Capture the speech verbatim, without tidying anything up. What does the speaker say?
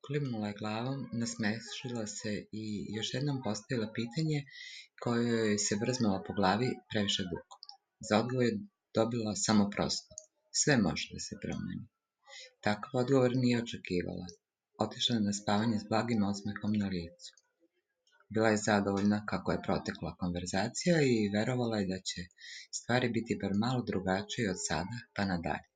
Klimnula je glavom, nasmešila se i još jednom postavila pitanje koje joj se vrzmalo po glavi previše dugo. Za odgovor je dobila samo prosto. Sve može da se promeni. Takav odgovor nije očekivala. Otišla je na spavanje s blagim osmehom na licu. Bila je zadovoljna kako je protekla konverzacija i verovala je da će stvari biti bar malo drugačije od sada pa nadalje.